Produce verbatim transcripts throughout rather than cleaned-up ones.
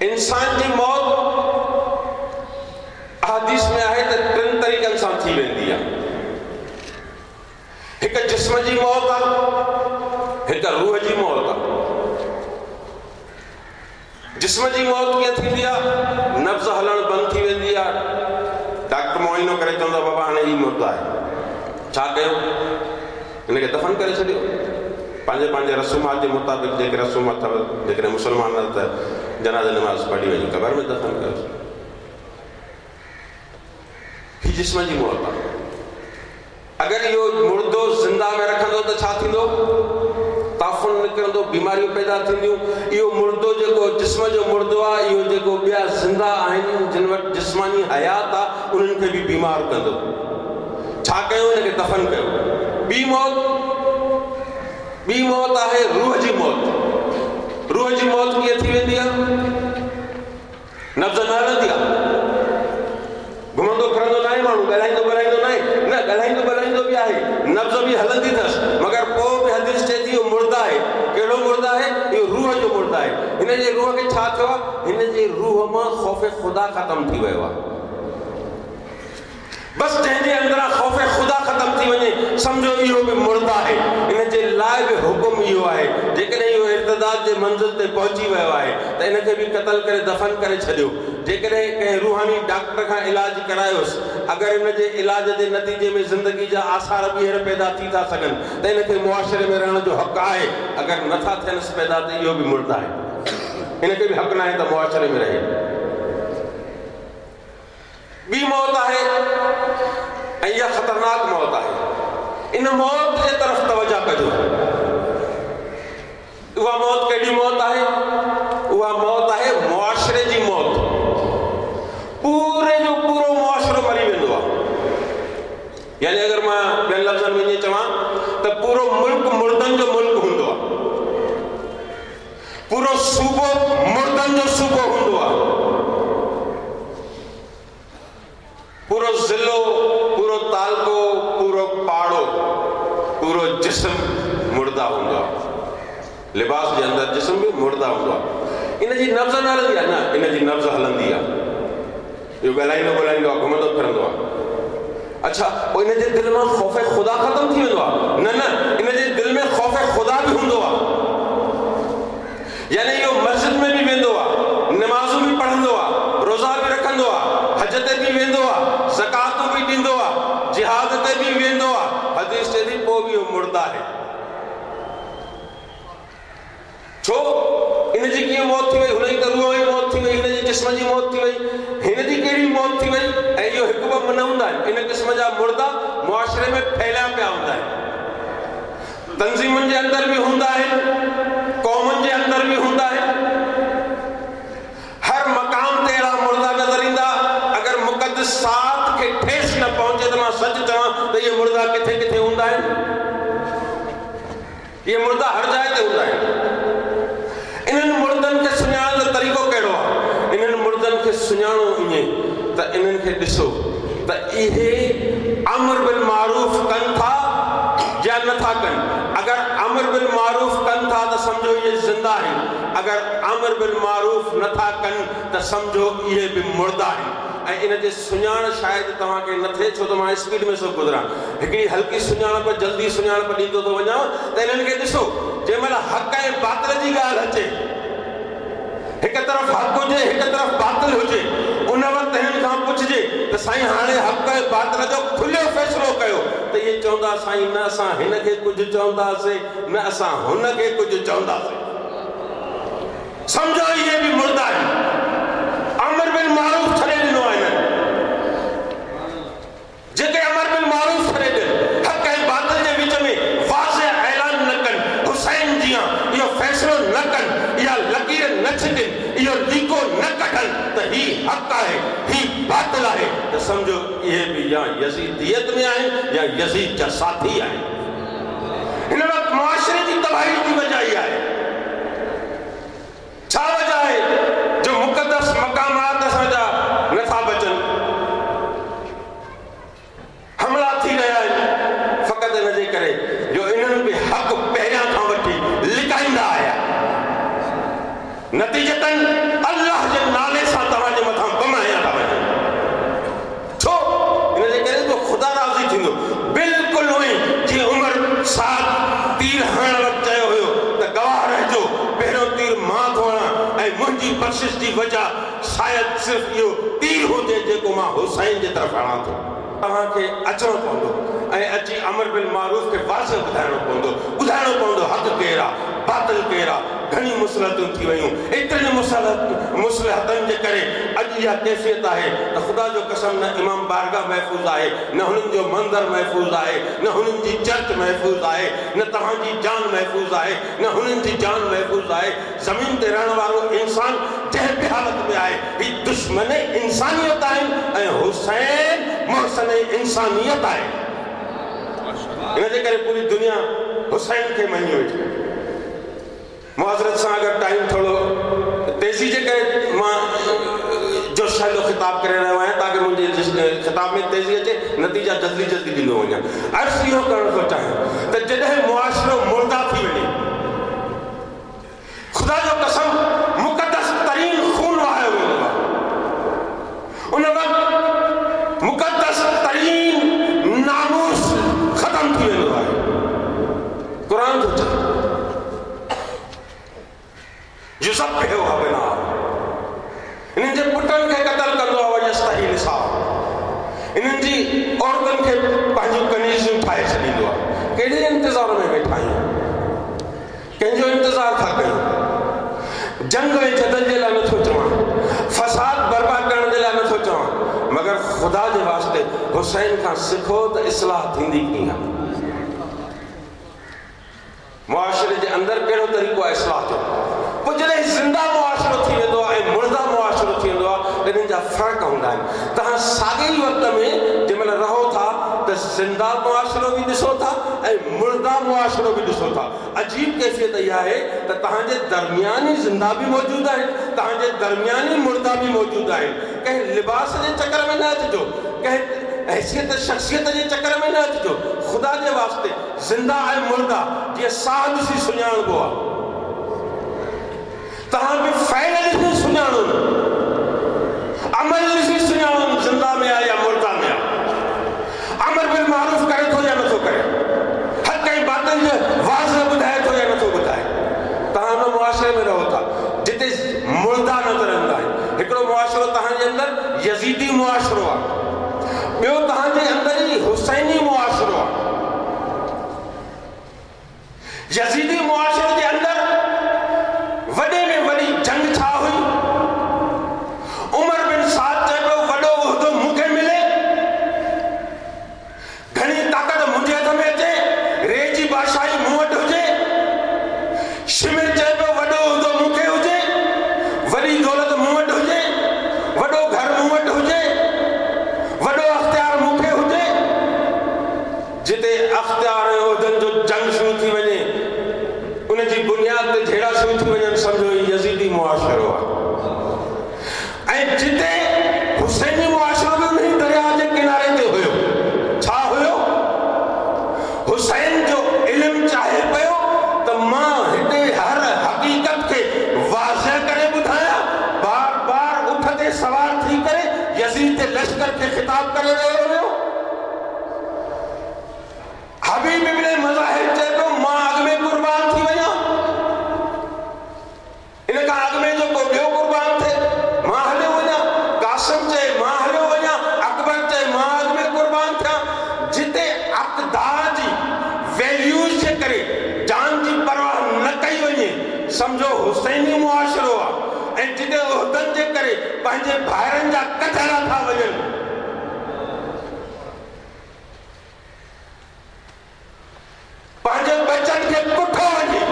इंसान जी मौत हदीस में आहे त टिनि तरीक़नि सां थी वेंदी आहे। हिकु जिस्म जी मौत आहे, हिकु रूह जी मौत आहे। जिस्म जी मौत कीअं थींदी आहे? नब्ज़ हलणु बंदि थी वेंदी आहे। डॉक्टर मुआइनो करे चवंदो बाबा हाणे हीउ मुर्दो आहे, छा कयो? हिनखे दफ़न करे छॾियो। पंहिंजे पंहिंजे रसूमात जे मुताबिक़ जेके रसूम अथव, जेकॾहिं मुस्लमान त जनाज़े नमाज़ पढ़ी वञी क़बर में दफ़न कयो। हीअ जिस्म जी मौत आहे। अगरि इहो मुर्दो ज़िंदा में रखंदो त छा थींदो? ताफ़ुन निकिरंदो, बीमारियूं पैदा थींदियूं। इहो मुर्दो जेको जिस्म जो मुर्दो आहे, इहो जेको ॿिया ज़िंदा आहिनि जिन वटि जिस्मानी हयात आहे, उन्हनि खे बि बीमार कंदो। छा कयो? हिनखे दफ़न कयो। ॿी मौत, ॿी मौत आहे रूह जी मौत। रूह जी मौत कीअं थी वेंदी आहे? नब्ज़ न हलंदी आहे, घुमंदो फिरंदो न आहे माण्हू, ॻाल्हाईंदो ॿोलाईंदो न आहे, न ॻाल्हाईंदो ॿोलाईंदो बि आहे, नब्ज़ बि हलंदी अथसि, मगर पोइ बि हदीस चए थी इहो मुर्दा आहे। कहिड़ो मुर्दा आहे? इहो रूह जो मुर्दा आहे। हिन जे रूह खे छा थियो आहे? हिन जे रूह मां ख़ौफ़ ख़ुदा ख़तमु थी वियो आहे। बसि जंहिंजे अंदरां ख़ौफ़ ख़ुदा ख़तमु थी वञे, सम्झो इहो बि मुर्दा आहे। इन जे लाइ बि हुकुम इहो आहे, जेकॾहिं इहो इर्तिदाद जे मंज़िल ते पहुची वियो आहे त इनखे बि क़तल करे दफ़न करे छॾियो। जेकॾहिं कंहिं रूहानी डॉक्टर खां इलाज करायोसि, अगरि इन जे इलाज जे नतीजे में ज़िंदगी जा आसार ॿीहर पैदा थी था सघनि त इनखे मुआशिरे में रहण जो हक़ आहे। अगरि नथा थियनसि पैदा त इहो बि मुर्दा आहे, इनखे बि हक़ न आहे त मुआशिरे में रहे। ॿी मौत आहे ऐं इहा ख़तरनाक मौत आहे। इन मौत जे तरफ़ तवजो कजो। उहा मौत कहिड़ी मौत आहे? उहा मौत आहे मुआशिरे जी मौत। पूरे जो पूरो मुआशिरो मरी वेंदो आहे। यानी अगरि मां ॿियनि लफ़्ज़नि में ईअं चवां त पूरो मुल्क मुर्दनि जो मुल्क हूंदो आहे, पूरो सूबो मुर्दनि जो सूबो हूंदो आहे, पूरो ज़िलो, पूरो तालको, पूरो पाड़ो, पूरो जिस्म मुर्दा हूंदो आहे। लिबास जे अंदरि जिस्म बि मुर्दा हूंदो आहे। इन जी नब्ज़ न हलंदी आहे, न इन जी नब्ज़ हलंदी आहे। इहो ॻाल्हाईंदो ॿोलाईंदो आहे, घुमंदो फिरंदो आहे। अच्छा, पोइ इन जे दिलि मां ख़ौफ़ ख़ुदा ख़तमु थी वेंदो आहे? न न, इन जे दिलि में ख़ौफ़ ख़ुदा बि हूंदो आहे। यानी इहो मस्जिद में बि वेंदो आहे, नमाज़ूं बि पढ़ंदो आहे, रोज़ा बि रखंदो आहे, हज ते बि वेंदो आहे, ज़कातूं बि ॾींदो आहे, जिहाद ते बि वेंदो आहे। हदीस चए थी पोइ बि इहो मुर्दा आहे। छो? इन जी कीअं मौत थी वई? हुन जी त रूह जी मौत थी वई, हिन जे जिस्म जी मौत थी वई, हिन जी कहिड़ी मौत थी वई? ऐं इहो हिकु ॿ न हूंदा आहिनि। इन क़िस्म जा मुर्दा मुआशिरे में फैलिया पिया हूंदा आहिनि, तंज़ीमुनि जे अंदरि बि हूंदा आहिनि, क़ौमुनि जे अंदरि बि हूंदा आहिनि, हर मक़ाम ते अहिड़ा मुर्दा नज़र ईंदा। अगरि मुक़द्दसात खे ठेस न पहुचे त मां सच चवां त इहे मुर्दा किथे किथे हूंदा आहिनि। इहे मुर्दा हर जाइ ते हूंदा आहिनि। इन्हनि मुर्दनि खे सुञाणण जो तरीक़ो कहिड़ो आहे? इन्हनि मुर्दनि खे सुञाणो ईअं त इन्हनि खे ॾिसो त इहे अमर बिल मारूफ़ कनि था या नथा कनि। अगरि अमर बिल मारूफ़ कनि था त सम्झो इहे ज़िंदा आहिनि, अगरि अमर बिल मारूफ़ नथा कनि त सम्झो इहे बि मुर्दा आहिनि। ऐं इन जे सुञाण शायदि तव्हांखे न थिए, छो त मां स्पीड में सभु गुज़रां। हिकिड़ी हल्की सुञाणप, जल्दी सुञाणप ॾींदो थो वञा त इन्हनि खे ॾिसो, जंहिं महिल हक़ ऐं बातिल जी ॻाल्हि अचे, हिकु तरफ़ हक़ हुजे, हिकु तरफ़ बातिल हुजे, उन वक़्तु हिननि खां पुछिजे त साईं हाणे हक़ ऐं बातिल जो खुलियो फ़ैसिलो कयो, त इहे चवंदा साईं न असां हिन खे कुझु चवंदासीं न असां हुन खे कुझु चवंदासीं। सम्झो इहे बि मुर्दा आहिनि। अमर बिल मारूफ़ छॾे ॾिनो आहे हिननि, जेके अमर बिल मारूफ़ छॾे ॾियनि, हक़ ऐं बातिल जे विच में वाज़े ऐलान न कनि, हुसैन जीअं इहो फ़ैसिलो न कनि, इहा लकीर न छिकनि, इहो लीको न कढनि त हीउ हक़ आहे, हीउ बातिल आहे, त सम्झो इहे बि या यज़ीदियत में आहिनि या यज़ीद जा साथी आहिनि। हिन वक़्तु मुआशिरे जी तबाही जी वजह इहा आहे। छा वजह आहे जो मुक़द्दस मक़ामात असांजा नथा बचनि, हमला थी रहिया आहिनि फ़क़ति इन जे करे जो इन्हनि बि हक़ पहिरियां खां वठी लिकाईंदा आया। नतीजतन सिर्फ़ इहो तीर हुजे जेको मां हुसैन जे तरफ़ हणां थो। तव्हांखे अचिणो पवंदो ऐं अची अमर बिल मारूफ़ खे वाज़िह ॿुधाइणो पवंदो, ॿुधाइणो पवंदो हक़ केरु आहे, बातिल केरु आहे। घणी मुसलतूं थी वयूं, एतिरियुनि मुसलत मुसलहतनि जे करे अॼु इहा कैफ़ियत आहे त ख़ुदा जो कसम न इमाम बारगाह महफ़ूज़ आहे, न हुननि जो मंदर महफ़ूज़ आहे, न हुननि जी चर्च महफ़ूज़ आहे, न तव्हांजी जान महफ़ूज़ आहे, न हुननि जी जान महफ़ूज़ आहे। ज़मीन ते रहण वारो इंसान जंहिं बि हालत में आहे, हीअ दुश्मन इंसानियत आहिनि ऐं हुसैन मोहसन इंसानियत आहे। इन जे करे पूरी दुनिया हुसैन खे मञी वेठी। मुआज़रत सां अगरि टाइम थोरो तेज़ी जे करे मां जोशाइलो ख़िताब करे रहियो आहियां ताकि मुंहिंजे ख़िताब में तेज़ी अचे, नतीजा जल्दी जल्दी ॾींदो वञा। अर्ज़ इहो करणु थो चाहियां त जॾहिं मुआशिरो मुर्दा थी वञे, ख़ुदा जो कसम मुक़दस तरीन खून वहायो वेंदो आहे, उन वक़्तु मुक़दस तरीन नामूस ख़त्म थी वेंदो आहे। क़ुर थो चए युज़ब्बिहु अबना, इन्हनि जे पुटनि खे क़तल कंदो आहे, वयस्तही निसा, इन्हनि जी औरतुनि खे पंहिंजूं कनीज़ूं ठाहे छॾींदो आहे। कहिड़े इंतज़ार में वेठा आहियूं? कंहिंजो इंतज़ार था कयूं? जंग ऐं जदल जे लाइ नथो चवां, फसाद बर्पा करण जे लाइ नथो चवां, मगर ख़ुदा जे वास्ते हुसैन खां सिखो त इस्लाह थींदी कीअं आहे। मुआशिरे जे अंदरि कहिड़ो तरीक़ो आहे इस्लाह जो? पोइ जॾहिं ज़िंदा मुआशिरो थी वेंदो आहे ऐं मुर्दा मुआशिरो थी वेंदो आहे, इन्हनि जा फ़र्क़ु हूंदा आहिनि। तव्हां साॻे ई वक़्त में जंहिं महिल रहो था त ज़िंदा मुआशिरो बि ॾिसो था ऐं मुर्दा मुआशिरो बि ॾिसो था। अजीब कैफ़ियत इहा आहे त तव्हांजे दरमियान ई ज़िंदा बि मौजूदु आहिनि, तव्हांजे दरमियान ई मुर्दा बि मौजूदु आहिनि। कंहिं लिबास जे चक्कर में न अचिजो, कंहिं हैसियत शख़्सियत जे चक्कर में न अचिजो। ख़ुदा जे वास्ते ज़िंदा ऐं मुर्दा जीअं साह ॾिसी सुञाणबो आहे, तव्हां बि फ़ैल ॾिसी सुञाणो, अमल ॾिसी सुञाणो, ज़िंदा में आहे या मुर्दा में आहे, अमर बिल मारूफ़ करे थो या नथो करे, हक़ ऐं बातिल जो वाज़ ॿुधाए थो या नथो ॿुधाए। तव्हां हुन मुआशिरे में रहो था जिते मुर्दा नज़र ईंदा आहिनि। हिकिड़ो मुआशिरो तव्हांजे अंदरि यज़ीदी मुआशिरो आहे, ॿियो तव्हांजे अंदरि ई हुसैनी मुआशिरो आहे। यज़ीदी मुआशिरे जे अंदरि वॾे में वॾी जंग छा हुई? उमर बिन साद चए पियो वॾो उहिदो मूंखे मिले, घणी ताक़त मुंहिंजे हथ में अचे, रे जी बादशाही मूं वटि हुजे। शिमिर चए पियो वॾो उहिदो मूंखे हुजे, वॾी दौलत मूं वटि हुजे, वॾो घर मूं वटि हुजे, वॾो अख़्तियार मूंखे हुजे। जिते अख़्तियार ऐं उहिदनि जो जंग शुरू थी वञे, उनजी बुनियाद ते झेड़ा शुरू थी वञनि, सम्झो यज़ीदी मुआशिरो आहे। ऐं जिते हुसैनी मुआशिरो बि उन दरिया जे किनारे ते हुयो, छा हुयो? हुसैन जो इल्मु चाहे पियो त मां हिते हर हक़ीक़त खे वाज़िह करे ॿुधायां। बार बार उठ ते सवार थी करे यज़ीद जे लश्कर खे ख़िताब करे रहियो हुयो। हबीब इब्न मज़ाहिर चए पियो मां अॻु में क़ुर्बान थी वञा, इन खां अॻु में जो को ॿियो क़ुर्बान थिए मां हलियो वञा। कासिम चए मां हलियो वञा, अकबर चए मां अॻु में क़ुर्बान थियां। जिते अक़दार जी वैल्यूज़ जे करे जान जी परवाह न कई वञे, सम्झो हुसैनी मुआशिरो आहे। ऐं जिते उहिदनि जे करे पंहिंजे भाइरनि जा कचरा था वञनि, पंहिंजे बच्चनि खे पुठो वञे,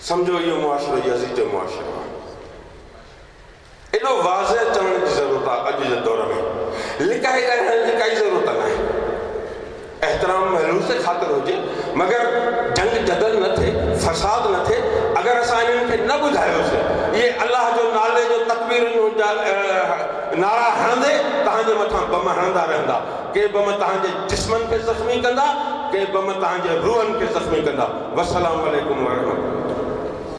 सम्झो इहो मुआशिरो यज़ीद जो मुआशिरो आहे। एॾो वाज़िह चवण जी ज़रूरत आहे अॼु जे दौर में, लिकाए ॻाल्हाइण जी काई ज़रूरत न आहे। एहतराम महलूस ख़ातिर हुजे, मगर जंग जदल न थिए, फसाद न थिए। अगरि असां इन्हनि खे न ॿुधायोसीं, इहे अलाह जो नाले जो तकबीरुनि जा नारा हणंदे तव्हांजे मथां बम हणंदा रहंदा। के बम तव्हांजे जिस्मनि खे ज़ख़्मी कंदा, के बम तव्हांजे रूहनि खे ज़ख़्मी कंदा। वस्सलाम अलैकुम वरहमतुल्लाह।